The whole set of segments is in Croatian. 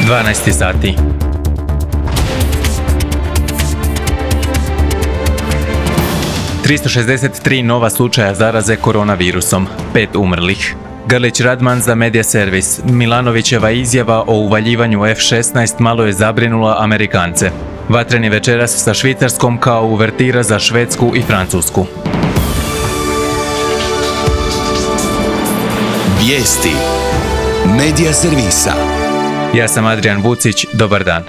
12 sati. ...363 nova slučaja zaraze koronavirusom, 5 umrlih. Grlić Radman za Media Servis. Milanovićeva izjava o uvaljivanju F-16 malo je zabrinula Amerikance. Vatreni večeras sa Švicarskom kao uvertira za Švedsku i Francusku. Vijesti Media Servisa. Ja sam Adrian Vucić, dobar dan.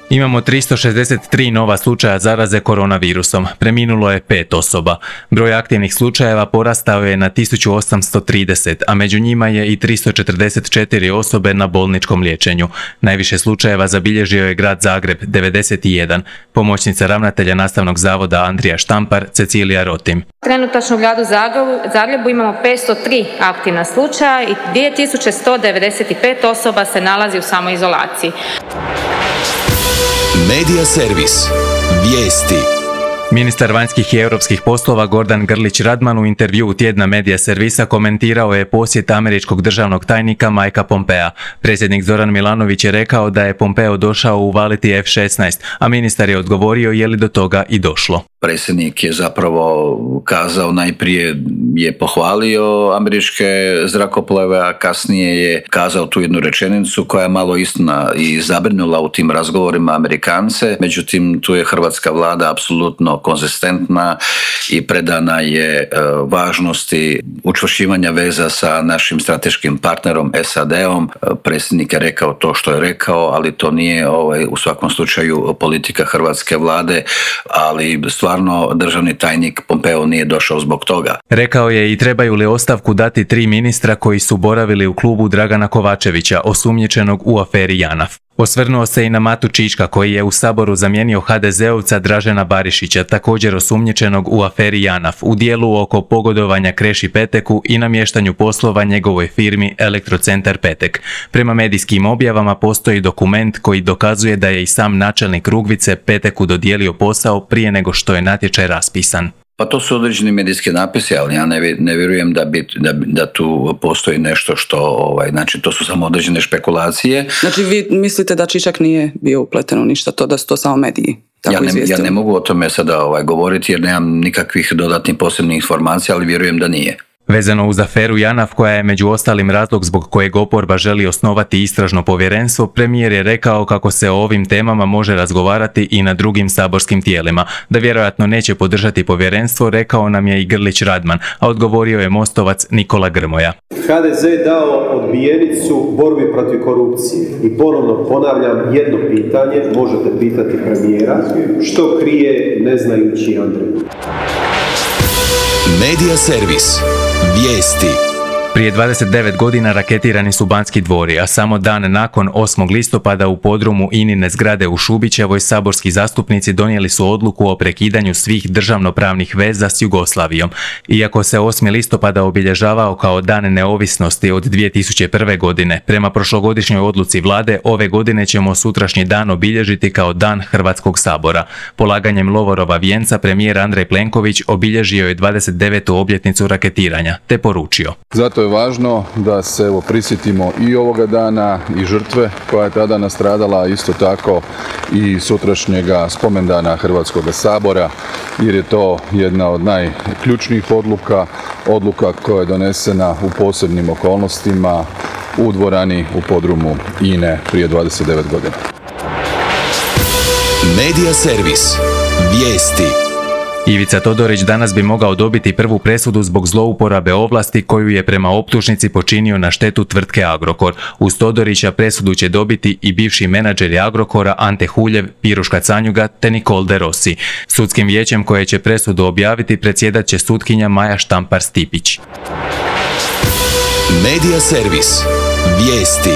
Imamo 363 nova slučaja zaraze koronavirusom, preminulo je 5 osoba. Broj aktivnih slučajeva porastao je na 1830, a među njima je i 344 osobe na bolničkom liječenju. Najviše slučajeva zabilježio je grad Zagreb, 91. Pomoćnica ravnatelja Nastavnog zavoda Andrija Štampar, Cecilija Rotim. Trenutačno u gradu Zagrebu imamo 503 aktivna slučaja i 2195 osoba se nalazi u samoizolaciji. Media Servis. Vijesti. Ministar vanjskih i europskih poslova Gordan Grlić Radman u intervjuu tjedna Media Servisa komentirao je posjet američkog državnog tajnika Mikea Pompea. Predsjednik Zoran Milanović je rekao da je Pompeo došao uvaliti F-16, a ministar je odgovorio je li do toga i došlo. Predsjednik je zapravo kazao, najprije je pohvalio američke zrakoplove, a kasnije je kazao tu jednu rečenicu koja je malo istina i zabrinula u tim razgovorima Amerikance. Međutim, tu je hrvatska vlada apsolutno konzistentna i predana je važnosti učvršćivanja veza sa našim strateškim partnerom SAD-om. Predsjednik je rekao to što je rekao, ali to nije u svakom slučaju politika hrvatske vlade, ali stvarno državni tajnik Pompeo nije došao zbog toga. Rekao je i trebaju li ostavku dati 3 ministra koji su boravili u klubu Dragana Kovačevića, osumnjičenog u aferi JANAF. Osvrnuo se i na Matu Čička koji je u Saboru zamijenio HDZ-ovca Dražena Barišića, također osumnjičenog u aferi JANAF, u dijelu oko pogodovanja Kreši Peteku i namještanju poslova njegovoj firmi Elektrocentar Petek. Prema medijskim objavama postoji dokument koji dokazuje da je i sam načelnik Rugvice Peteku dodijelio posao prije nego što je natječaj raspisan. Pa to su određeni medijski napisi, ali ja ne vjerujem da tu postoji nešto što, znači to su samo određene špekulacije. Znači vi mislite da Čičak nije bio upleten u ništa, da su to samo mediji tako izvijestili? Ja ne mogu o tome sada govoriti jer nemam nikakvih dodatnih posebnih informacija, ali vjerujem da nije. Vezano uz aferu JANAF, koja je među ostalim razlog zbog kojeg oporba želi osnovati istražno povjerenstvo, premijer je rekao kako se o ovim temama može razgovarati i na drugim saborskim tijelima. Da vjerojatno neće podržati povjerenstvo, rekao nam je i Grlić Radman, a odgovorio je Mostovac Nikola Grmoja. HDZ je dao odbijenicu borbi protiv korupcije i ponovno ponavljam jedno pitanje, možete pitati premijera, što krije ne znajući Andrej. Media Servis. Vijesti. Prije 29 godina raketirani su Banski dvori, a samo dan nakon 8. listopada u podrumu INA-ine zgrade u Šubićevoj saborski zastupnici donijeli su odluku o prekidanju svih državnopravnih veza s Jugoslavijom. Iako se 8. listopada obilježavao kao dan neovisnosti od 2001. godine, prema prošlogodišnjoj odluci vlade, ove godine ćemo sutrašnji dan obilježiti kao dan Hrvatskog sabora. Polaganjem Lovorova vijenca premijer Andrej Plenković obilježio je 29. obljetnicu raketiranja, te poručio. Zato je važno da se prisjetimo i ovoga dana i žrtve koja je tada nastradala, isto tako i sutrašnjega spomendana Hrvatskog sabora, jer je to jedna od najključnijih odluka koja je donesena u posebnim okolnostima u dvorani u podrumu INA-e prije 29 godina. Media Servis. Vijesti. Ivica Todorić danas bi mogao dobiti prvu presudu zbog zlouporabe ovlasti koju je prema optužnici počinio na štetu tvrtke Agrokor. Uz Todorića presudu će dobiti i bivši menadžeri Agrokora Ante Huljev, Piruška Canjuga te Nicole de Rossi. Sudskim vijećem koje će presudu objaviti predsjedat će sutkinja Maja Štampar-Stipić. Media Servis. Vijesti.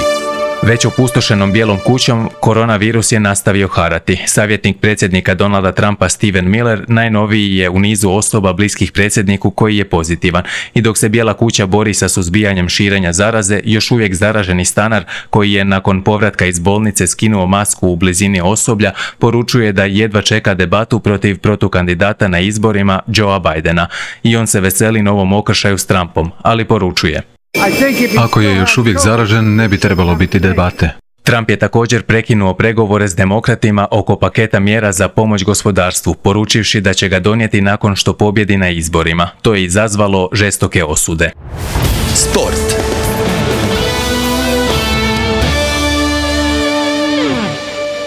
Već opustošenom Bijelom kućom koronavirus je nastavio harati. Savjetnik predsjednika Donalda Trumpa Steven Miller najnoviji je u nizu osoba bliskih predsjedniku koji je pozitivan. I dok se Bijela kuća bori sa suzbijanjem širenja zaraze, još uvijek zaraženi stanar koji je nakon povratka iz bolnice skinuo masku u blizini osoblja, poručuje da jedva čeka debatu protiv protukandidata na izborima Joea Bidena. I on se veseli novom okršaju s Trumpom, ali poručuje: ako je još uvijek zaražen, ne bi trebalo biti debate. Trump je također prekinuo pregovore s demokratima oko paketa mjera za pomoć gospodarstvu, poručivši da će ga donijeti nakon što pobjedi na izborima. To je izazvalo žestoke osude. Sport.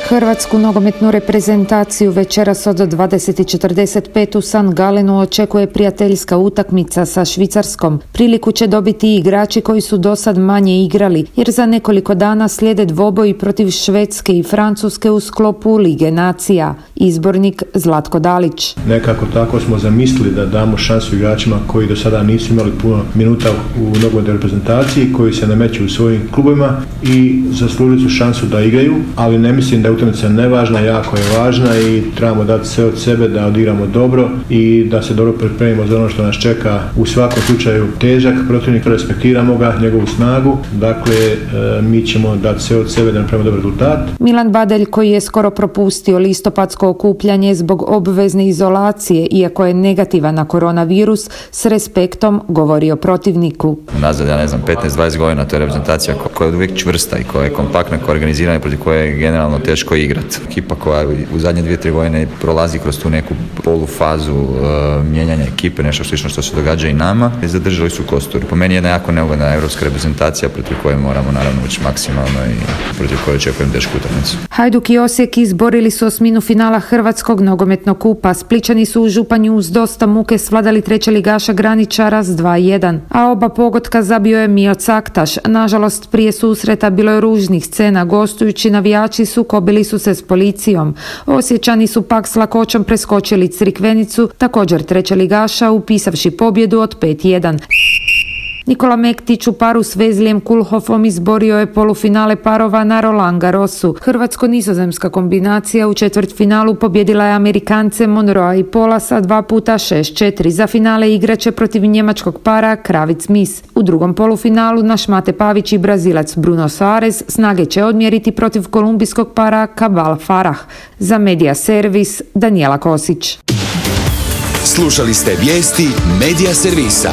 Hrvatsku nogometnu reprezentaciju večeras od 20:45 u St. Galenu očekuje prijateljska utakmica sa Švicarskom. Priliku će dobiti igrači koji su dosad manje igrali, jer za nekoliko dana slijede dvoboji protiv Švedske i Francuske u sklopu Lige nacija. Izbornik Zlatko Dalić. Nekako tako smo zamislili da damo šansu igračima koji do sada nisu imali puno minuta u nogometnoj reprezentaciji, koji se nameću u svojim klubovima i zaslužili su šansu da igraju, ali ne mislim da je utakmica nevažna, jako je važna i trebamo dati sve od sebe da odigramo dobro i da se dobro pripremimo za ono što nas čeka. U svakom slučaju težak protivnik, respektiramo ga, njegovu snagu, dakle mi ćemo dati sve od sebe da napravimo dobar rezultat. Milan Badelj, koji je skoro propustio listopadsko okupljanje zbog obvezne izolacije, iako je negativan na koronavirus, s respektom govori o protivniku. Nazad, 15-20 godina, to je reprezentacija koja je uvijek čvrsta i koja je kompaktna, koja je organizirana i protiv koje je generalno teško igrati. Ekipa koja u zadnje 2-3 godine prolazi kroz tu neku polufazu mijenjanja ekipe, nešto slično što se događa i nama, i zadržali su kostur. Po meni je jedna jako neugodna europska reprezentacija protiv koje moramo naravno ući maksimalno i protiv koje očekujem tešku utakmicu. Hajduk i Osijek izborili su osminu finala Hrvatskog nogometnog kupa. Splićani su u Županju uz dosta muke svladali trećeligaša Graničara s 2:1, a oba pogotka zabio je Mio Caktaš. Nažalost, prije susreta bilo je ružnih scena, gostujući navijači sukobili su se s policijom. Osječani su pak s lakoćom preskočili Crikvenicu, također trećeligaša, upisavši pobjedu od 5:1. Nikola Mektić u paru s Vezlijem Kulhofom izborio je polufinale parova na Roland Garrosu. Hrvatsko-nizozemska kombinacija u četvrtfinalu pobjedila je Amerikance Monroea i Polasa 2x6-4. Za finale igraće protiv njemačkog para Kravic-Mis. U drugom polufinalu naš Mate Pavić i Brazilac Bruno Soares snage će odmjeriti protiv kolumbijskog para Cabal Farah. Za Media Servis Danijela Kosić. Slušali ste vijesti Media Servisa.